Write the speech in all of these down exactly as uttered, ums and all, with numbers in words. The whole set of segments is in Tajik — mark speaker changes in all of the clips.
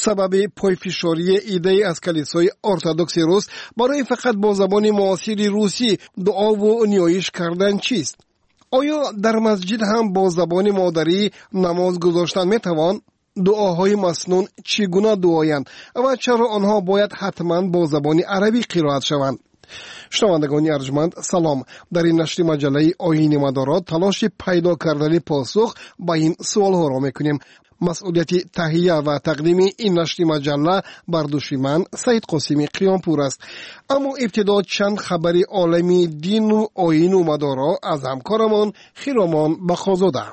Speaker 1: Сабаби пойфишории иддаи аз калисои ортодокси рус барои фақат бо забони муосири русӣ дуову ниёиш кардан чист? Оё дар масҷид ҳам бо забони модарӣ намоз гузоштан метавон? Дуоҳои маснун чӣ гуна дуоянд ва чаро онҳо бояд ҳатман бо забони арабӣ қироат шаванд? Шунавандагони арҷманд, салом. Дар ин нашри маҷаллаи Оини Мадоро талоши пайдо кардани посух ба ин суолҳоро мекунем. Масъулияти таҳия ва тақдими ин нашри маҷалла бар дӯши ман Саид Қосими Қиёмпур аст. Аммо ибтидо чанд хабари олами дину оину мадоро аз ҳамкорамон Хиромон Бақозода.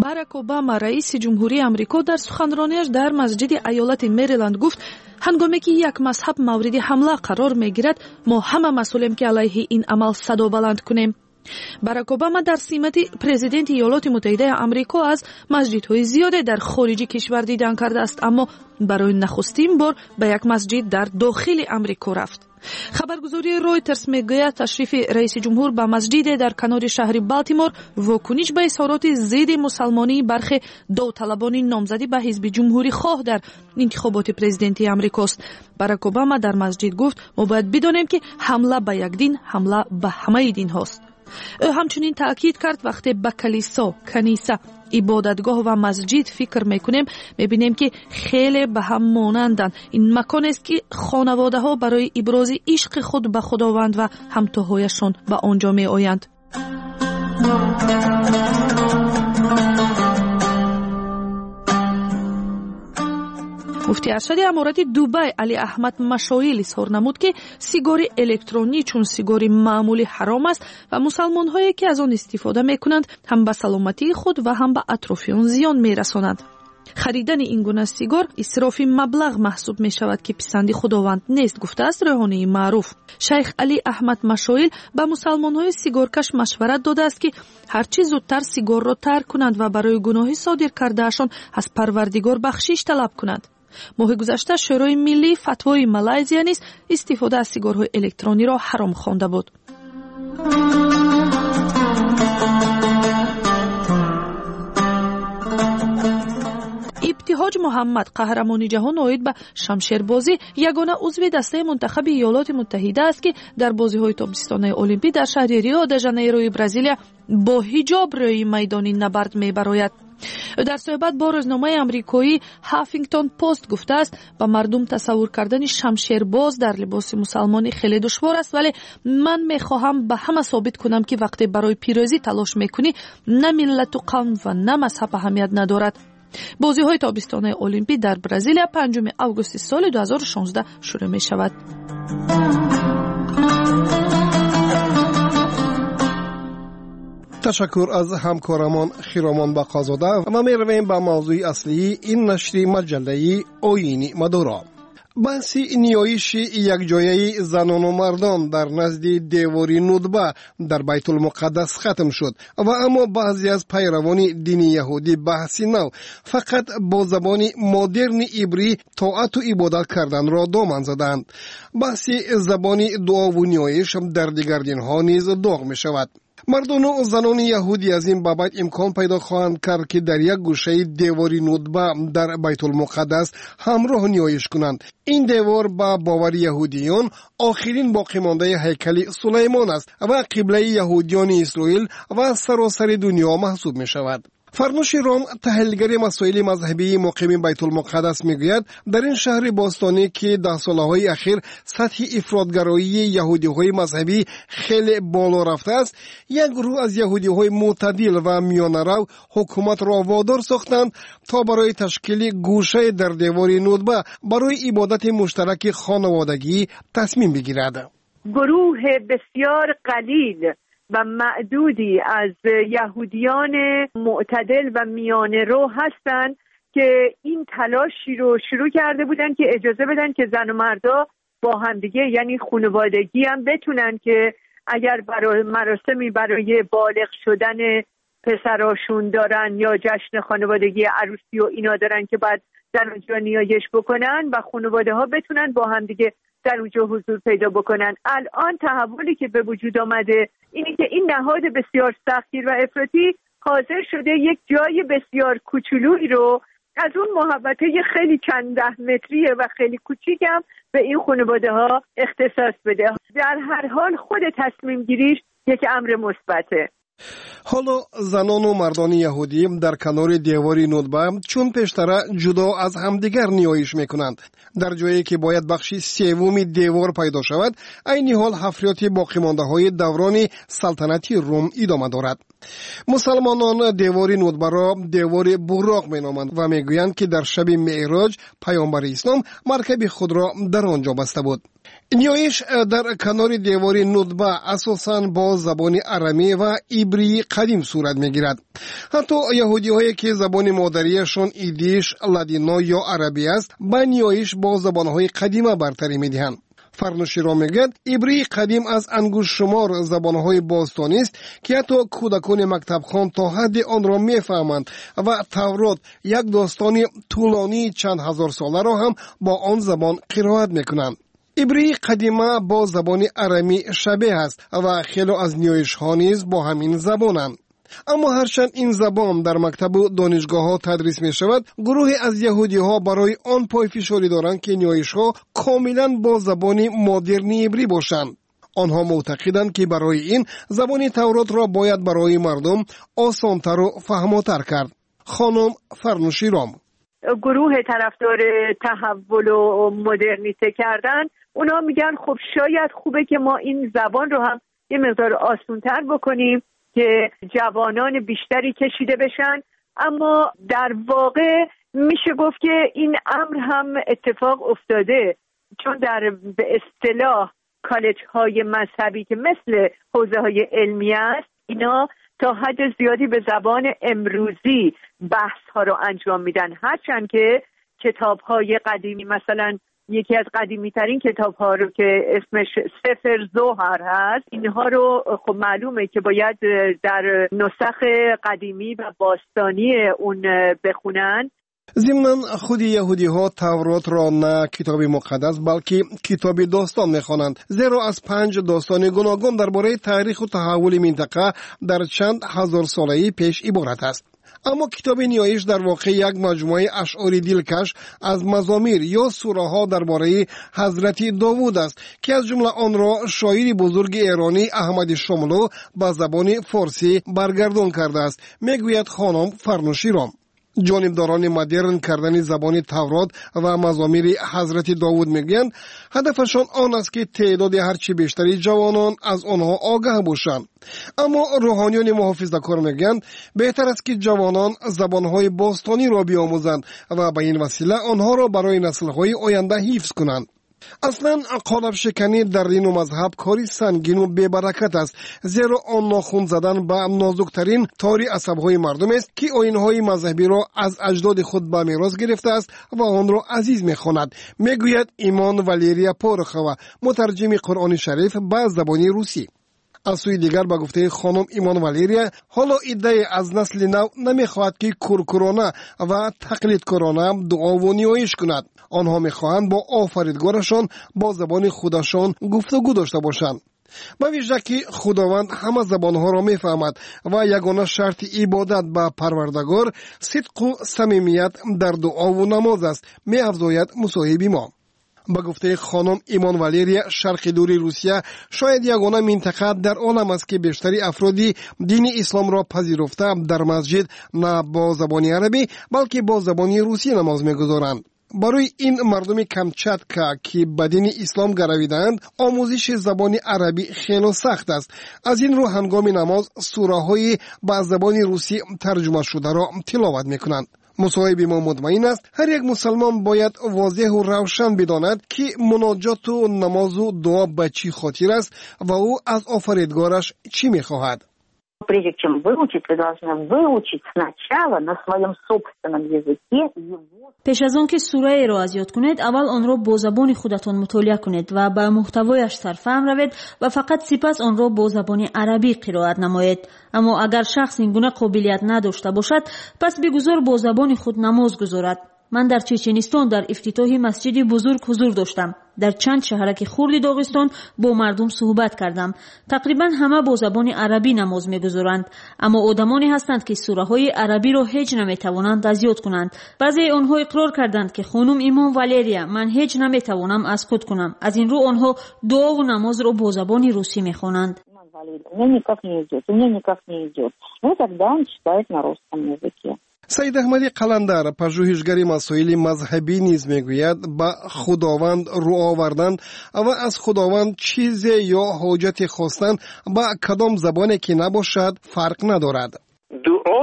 Speaker 2: Барак Обама, раиси ҷумҳурии Амрико, дар суханронияш дар масҷиди айолати Мериланд гуфт: ҳангоме ки як мазҳаб мавриди ҳамла қарор мегирад, мо ҳама масъулем, ки алайҳи ин амал садо баланд кунем. Барак Обама дар симати президенти Иёлоти Муттаҳидаи Амрико аз масҷидҳои зиёде дар хориҷи кишвар дидан кардааст, аммо барои нахустин бор ба як масҷид дар дохили Амрико рафт. Хабаргузории Ройтерс мегӯяд, ташрифи раиси ҷумҳур ба масҷиде дар канори шаҳри Балтимор вокуниш ба изҳороти зидди мусалмонии бархе довталабони номзадӣ ба ҳизби ҷумҳурихоҳ дар интихоботи президентии Амрикост. Барак Обама дар масҷид гуфт: мо бояд бидонем, ки ҳамла ба як дин ҳамла ба ҳамаи динҳост. Ӯ ҳамчунин таъкид кард, вақте ба калисо, каниса, ибодатгоҳ ва масҷид фикр мекунем, мебинем, ки хеле ба ҳам монанданд. Ин маконест, ки хонаводаҳо барои ибрози ишқи худ ба Худованд ва ҳамтоҳояшон ба он ҷо меоянд. Муфти аршади аморати Дубай Али Аҳмад Машоил изҳор намуд, ки сигори электронӣ чун сигори маъмулӣ ҳаром аст ва мусалмонҳое, ки аз он истифода мекунанд, ҳам ба саломатии худ ва ҳам ба атрофиён зиён мерасонанд. Харидани ин гуна сигор исрофи маблағ маҳсуб мешавад, ки писанди Худованд нест, гуфтааст рӯҳонии маъруф. Шайх Али Аҳмад Машоил ба мусалмонҳои сигоркаш машварат додааст, ки ҳарчи зудтар сигорро тарк кунанд ва барои гуноҳи содир кардаашон аз Парвардигор бахшиш талаб кунанд. Моҳи гузашта Шӯрои миллии фатвои Малайзия низ истифода аз сигорҳои электрониро ҳаром хонда буд. Ибтиҳоҷ Муҳаммад, қаҳрамони ҷаҳон оид ба шамшербозӣ, ягона узви дастаи мунтахаби Иёлоти Муттаҳида аст, ки дар бозиҳои тобистонаи Олимпӣ дар шаҳри Рио де Жанейрои Бразилия бо ҳиҷоб рӯи майдони набард мебарояд. Ӯ дар суҳбат бо рӯзномаи амрикоӣ Хаффингтон Пост гуфтааст, ба мардум тасаввур кардани шамшербоз дар либоси мусалмонӣ хеле душвор аст, вале ман мехоҳам ба ҳама собит кунам, ки вақте барои пирӯзӣ талош мекунӣ, на миллату қавм ва на мазҳаб аҳамият надорад. Бозиҳои тобистонаи Олимпӣ дар Бразилия панҷуми августи соли ду ҳазору шонздаҳ шурӯъ мешавад.
Speaker 1: Ташаккур аз ҳамкорамон Хиромон Бақозода ва меравем ба мавзӯи аслии ин нашри маҷаллаи Оини Мадоро. Баҳси ниёиши якҷояи занону мардон дар назди девори Нудба дар Байтулмуқаддас хатм шуд ва аммо баъзе аз пайравони дини яҳудӣ баҳси нав фақат бо забони модерни ибрӣ тоату ибодат карданро доман задаанд. Баҳси забони дуову ниёиш дар дигар динҳо низ доғ мешавад. Мардону занони яҳудӣ аз ин бабат имкон пайдо хоҳанд кард, ки дар як гӯшаи девори Нудба дар Байтулмуқаддас ҳамроҳ ниёиш кунанд. Ин девор ба бовари яҳудиён охирин боқимондаи ҳайкали Сулаймон аст ва қиблаи яҳудиёни Исроил ва саросари дунё маҳсуб мешавад. Фарнуши Ром, таҳлилгари масоили мазҳабии муқими Байтулмуқаддас, мегӯяд, дар ин шаҳри бостонӣ, ки даҳсолаҳои ахир сатҳи ифротгароии яҳудиҳои мазҳабӣ хеле боло рафтааст, як гурӯҳ аз яҳудиҳои мӯътадил ва миёнарав ҳукуматро водор сохтанд, то барои ташкили гӯшае дар девори Нудба барои ибодати муштараки хонаводагӣ тасмим бигирад.
Speaker 3: Гурӯҳи бисёр қалил و معدودی از یهودیان معتدل و میانه رو هستند که این تلاشی رو شروع کرده بودن که اجازه بدن که زن و مردا با همدیگه، یعنی خانوادگی هم بتونن که اگر برای مراسمی برای بالغ شدن پسراشون دارن یا جشن خانوادگی عروسی و اینا دارن که بعد در اونجا نیایش بکنن و خانواده ها بتونن با همدیگه در اونجا حضور پیدا بکنن. الان تحولی که به وجود آمده اینه که این نهاد بسیار سختگیر و افراطی حاضر شده یک جای بسیار کوچولویی رو از اون محوطه خیلی چند ده متریه و خیلی کوچیکم به این خانواده ها اختصاص بده. در هر حال خود تصمیم گیریش یک امر مثبته.
Speaker 1: ҳоло занону мардони яҳудӣ дар канори девори Нудба чун пештара ҷудо аз ҳамдигар ниёиш мекунанд. Дар ҷое ки бояд бахши севуми девор пайдо шавад, айни ҳол ҳафриёти боқимондаҳои даврони салтанати Рум идома дорад. Мусалмонон девори Нудбаро девори Буроқ меноманд ва мегӯянд, ки дар шаби Меъроҷ паёмбари ислом маркаби худро дар он ҷо баста буд. Ниёиш дар канори девори Нудба асосан бо забони арамӣ ва ибрии қадим сурат мегирад. Ҳатто яҳудиҳое, ки забони модариашон идиш, ладино ё арабӣ аст, ба ниёиш бо забонҳои қадима бартарӣ медиҳанд. Фарнуширо мегӯяд, ибрии қадим аз ангуштшумор забонҳои бостонист, ки ҳатто кӯдакони мактабхон то ҳадди онро мефаҳманд ва Таврот, як достони тӯлонии чанд ҳазорсоларо ҳам бо он забон қироат мекунанд. Ибрии қадима бо забони арамӣ шабеҳ аст ва хело аз ниёишҳо низ бо ҳамин забонанд. Аммо ҳарчанд ин забон дар мактабу донишгоҳҳо тадрис мешавад, гурӯҳе аз яҳудиҳо барои он пойфишорӣ доранд, ки ниёишҳо комилан бо забони модерни ибрӣ бошанд. Онҳо мӯътақиданд, ки барои ин забони Тавротро бояд барои мардум осонтару фаҳмотар кард. Хонум Фарнуширом:
Speaker 3: گروه طرفدار تحول و مدرنیته کردن، اونا میگن خب شاید خوبه که ما این زبان رو هم یه مقدار آسونتر بکنیم که جوانان بیشتری کشیده بشن. اما در واقع میشه گفت که این امر هم اتفاق افتاده، چون در به اصطلاح کالج های مذهبی که مثل حوزه های علمی است، اینا تا حد زیادی به زبان امروزی بحث ها رو انجام میدن، هرچند که کتاب های قدیمی، مثلا یکی از قدیمی ترین کتاب ها رو که اسمش سفر زوهر هست، اینها رو خب معلومه که باید در نسخ قدیمی و باستانی اون بخونن.
Speaker 1: Зимнан, худи яҳудиҳо Тавротро на китоби муқаддас, балки китоби достон мехонанд, зеро аз панҷ достони гуногун дар бораи таъриху таҳаввули минтақа дар чанд ҳазорсолаи пеш иборат аст. Аммо китоби ниёиш дар воқеъ як маҷмӯаи ашъори дилкаш аз мазомир ё сураҳо дар бораи ҳазрати Довуд аст, ки аз ҷумла онро шоири бузурги эронӣ Аҳмади Шомлӯ ба забони форсӣ баргардон кардааст, мегӯяд хонум Фарнуширом. Ҷонибдорони модерн кардани забони Таврот ва мазомири ҳазрати Довуд мегӯянд, ҳадафашон он аст, ки теъдоди ҳарчи бештари ҷавонон аз онҳо огаҳ бошанд. Аммо рӯҳониёни муҳофизакор мегӯянд, беҳтар аст, ки ҷавонон забонҳои бостониро биомӯзанд ва ба ин васила онҳоро барои наслҳои оянда ҳифз кунанд. Аслан қолабшиканӣ дар дину мазҳаб кори сангину бебаракат аст, зеро он нохун задан ба нозуктарин тори асабҳои мардумест, ки оинҳои мазҳабиро аз аҷдоди худ ба мерос гирифтааст ва онро азиз мехонад, мегӯяд Имон Валерия Порохова, мутарҷими Қуръони Шариф ба забони русӣ. Аз сӯи дигар, ба гуфтаи хонум Имон Валерия, ҳоло иддае аз насли нав намехоҳад, ки куркурона ва тақлидкорона дуову ниёиш кунад. Онҳо мехоҳанд бо офаридгорашон бо забони худашон гуфтугӯ дошта бошанд, ба вижа ки Худованд ҳама забонҳоро мефаҳмад ва ягона шарти ибодат ба Парвардагор сидқу самимият дар дуову намоз аст, меафзояд мусоҳиби мо. Ба гуфтаи хонум Имон Валерия, Шарқи Дури Русия шояд ягона минтақа дар олам аст, ки бештари афроди дини исломро пазируфта дар масҷид на бо забони арабӣ, балки бо забони русӣ намоз мегузоранд. Барои ин мардуми Камчатка, ки ба дини ислом гаравидаанд, омӯзиши забони арабӣ хело сахт аст. Аз ин рӯ ҳангоми намоз сураҳои ба забони русӣ тарҷумашударо тиловат мекунанд. Мусоҳиби мо мутмаин аст, ҳар як мусалмон бояд возеҳу равшан бидонад, ки муноҷоту намозу дуо ба чӣ хотир аст ва ӯ аз офаридгораш чӣ мехоҳад.
Speaker 4: Прежде чем выучить, вы должны выучить сначала на своем собственном языке его.
Speaker 5: Пеш аз он ки сураеро аз ёд кунед, аввал онро бо забони худатон мутолиа кунед ва ба муҳтавояш сарфаҳм равед ва фақат сипас онро бо забони арабӣ қироат намоед. Аммо агар шахс ин гуна қобилият надошта бошад, пас бигузор бо забони худ намоз гузорад. Ман дар Чеченистон дар ифтитоҳи масҷиди бузург ҳузур доштам. Дар чанд шаҳраки хурди Доғистон бо мардум суҳбат кардам. Тақрибан ҳама бо забони арабӣ намоз мегузоранд, аммо одамоне ҳастанд, ки сураҳои арабиро ҳеҷ наметавонанд аз ёд кунанд. Баъзеи онҳо иқрор карданд, ки хонум имом Валерия, ман ҳеҷ наметавонам аз худ кунам. Аз ин рӯ онҳо дуову намозро бо забони русӣ мехонанд.
Speaker 4: У меня никак не идет, у меня никак не идет. Ну, тогда он читает на русском языке.
Speaker 1: Саид Аҳмади Қаландар, пажӯҳишгари масоили мазҳабӣ, низ мегӯяд, ба Худованд рӯ овардан ва аз Худованд чизе ё ҳоҷате хостан ба кадом забоне ки набошад, фарқ надорад.
Speaker 6: Дуо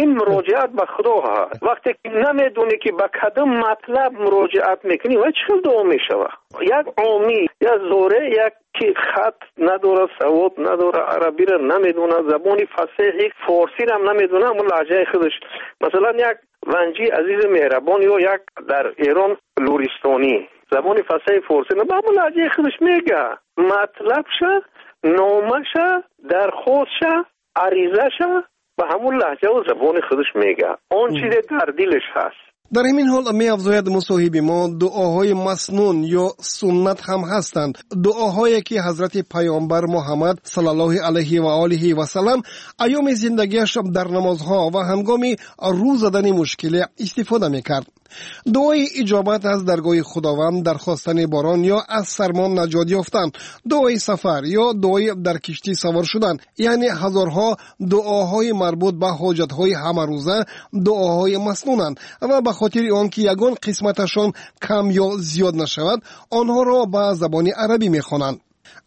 Speaker 6: ин муроҷиат ба Худо ҳаст. Вақте ки намедонӣ, ки ба кадом матлаб муроҷиат мекунӣ, вай чӣ хел дуо мешавад? Як омӣ, як зоре, як ки хат надорад, савод надорад, арабиро намедонад, забони фасеҳи форсиро намедонад, аммо лаҳҷаи худаш, масалан, як ванҷи азизи меҳрабон ё як дар Эрон луристонӣ забони фасеҳи форсӣ, аммо лаҳҷаи худаш мега, матлабша, номаша, дархостша, аризаша ба ҳамун лаҳҷаву забони худаш мега, он чизе дар дилаш ҳаст.
Speaker 1: Дар ҳамин ҳол, меафзояд мусоҳиби мо, дуоҳои маснун ё суннат ҳам ҳастанд, дуоҳое ки ҳазрати паёмбар Муҳаммад саллаллоҳу алайҳи ва олиҳи васаллам айёми зиндагиаш дар намозҳо ва ҳангоми рӯ задани мушкиле истифода мекард. Дуои иҷобат аз даргоҳи Худованд, дар хостани борон ё аз сармон наҷот ёфтан, дуои сафар ё дуои дар киштӣ савор шудан, яъне ҳазорҳо дуоҳои марбут ба ҳоҷатҳои ҳамарӯза дуоҳои маснунанд ва ба хотири он ки ягон қисматашон кам ё зиёд нашавад, онҳоро ба забони арабӣ мехонанд.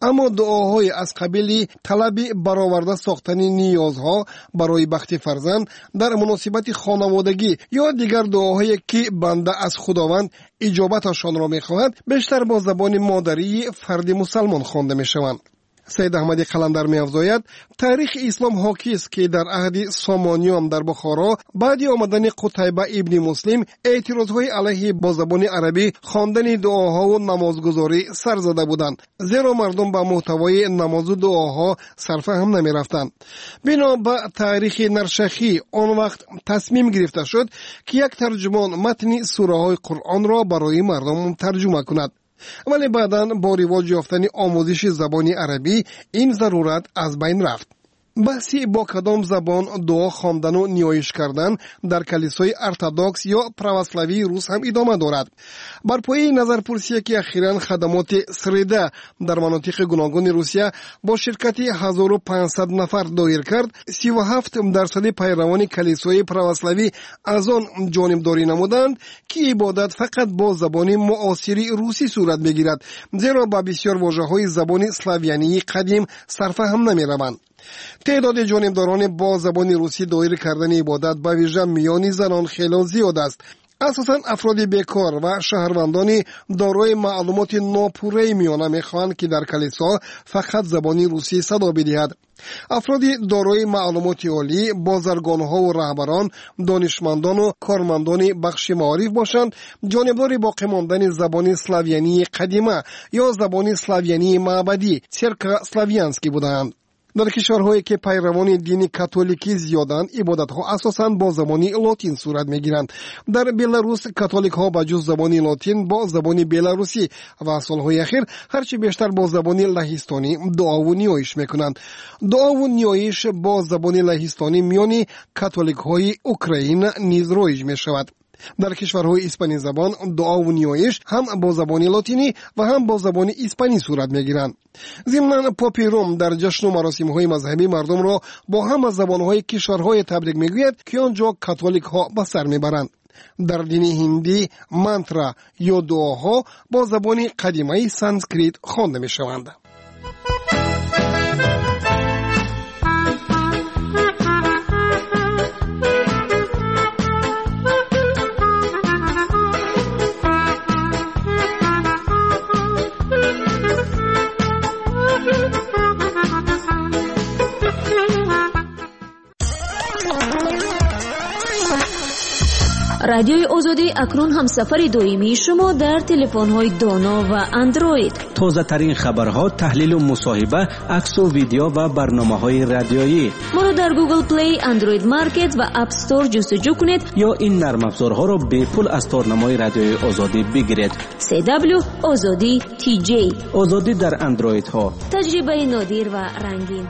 Speaker 1: Аммо дуоҳои аз қабили талаби бароварда сохтани ниёзҳо барои бахти фарзанд, дар муносибати хонаводагӣ ё дигар дуоҳое ки банда аз Худованд иҷобаташонро мехоҳад, бештар бо забони модарии фарди мусалмон хонда мешаванд. Саид Аҳмади Қаландар меафзояд, таърихи ислом ҳокист, ки дар аҳди Сомониён дар Бухоро баъди омадани Қутайба ибни Муслим эътирозҳои алайҳи бо забони арабӣ хондани дуоҳову намозгузорӣ сар зада буданд, зеро мардум ба муҳтавои намозу дуоҳо сарфаҳм намерафтанд. Бино ба таърихи Наршахӣ, он вақт тасмим гирифта шуд, ки як тарҷумон матни сураҳои Қуръонро барои мардум тарҷума кунад, вале баъдан бо ривоҷ ёфтани омӯзиши забони арабӣ ин зарурат аз байн рафт. Баҳси бо кадом забон дуо хондану ниёиш кардан дар калисои ортодокс ё православии рус ҳам идома дорад. Бар пояи назарпурсие ки ахиран хадамоти Среда дар манотиқи гуногуни Русия бо ширкати ҳазору панҷсад нафар доир кард, сиву ҳафт дарсади пайравони калисои православӣ аз он ҷонибдорӣ намуданд, ки ибодат фақат бо забони муосири русӣ сурат мегирад, зеро ба бисёр вожаҳои забони славянии қадим сарфаҳм намераванд. Теъдоди ҷонибдорони бо забони русӣ доир кардани ибодат ба вижа миёни занон хело зиёд аст. Асосан афроди бекор ва шаҳрвандони дорои маълумоти нопурраи миёна мехоҳанд, ки дар калисо фақат забони русӣ садо бидиҳад. Афроди дорои маълумоти олӣ, бозаргонҳову раҳбарон, донишмандону кормандони бахши маориф бошанд, ҷонибдори боқӣ мондани забони славянии қадима ё забони славянии маъбадӣ церковославянский будаанд. Дар кишварҳое ки пайравони дини католикӣ зиёданд, ибодатҳо асосан бо забони лотин сурат мегиранд. Дар Беларус католикҳо ба ҷуз забони лотин бо забони беларусӣ ва солҳои ахир ҳарчи бештар бо забони лаҳистонӣ дуову ниёиш мекунанд. Дуову ниёиш бо забони лаҳистонӣ миёни католикҳои Украина низ роиҷ мешавад. Дар кишварҳои испанизабон дуову ниёиш ҳам бо забони лотинӣ ва ҳам бо забони испанӣ сурат мегиранд. Зимнан, попи Рум дар ҷашну маросимҳои мазҳабӣ мардумро бо ҳама забонҳои кишварҳое табрик мегӯяд, ки он ҷо католикҳо ба сар мебаранд. Дар дини ҳиндӣ мантра ё дуоҳо бо забони қадимаи санскрит хонда мешаванд.
Speaker 5: Радиои Озодӣ акнун ҳамсафари доимии шумо дар телефонҳои доно ва Андроид.
Speaker 7: Тозатарин хабарҳо, таҳлилу мусоҳиба, аксу видео ва барномаҳои радиоӣ.
Speaker 5: Моро дар Google Play, Android Market ва App Store ҷустуҷӯ кунед
Speaker 7: ё ин нармафзорҳоро бепул аз торнамои Радиои Озодӣ бигиред.
Speaker 5: си дабл ю Озодӣ ти ҷей.
Speaker 7: Озодӣ дар андроидҳо.
Speaker 5: Таҷрибаи нодир ва рангин.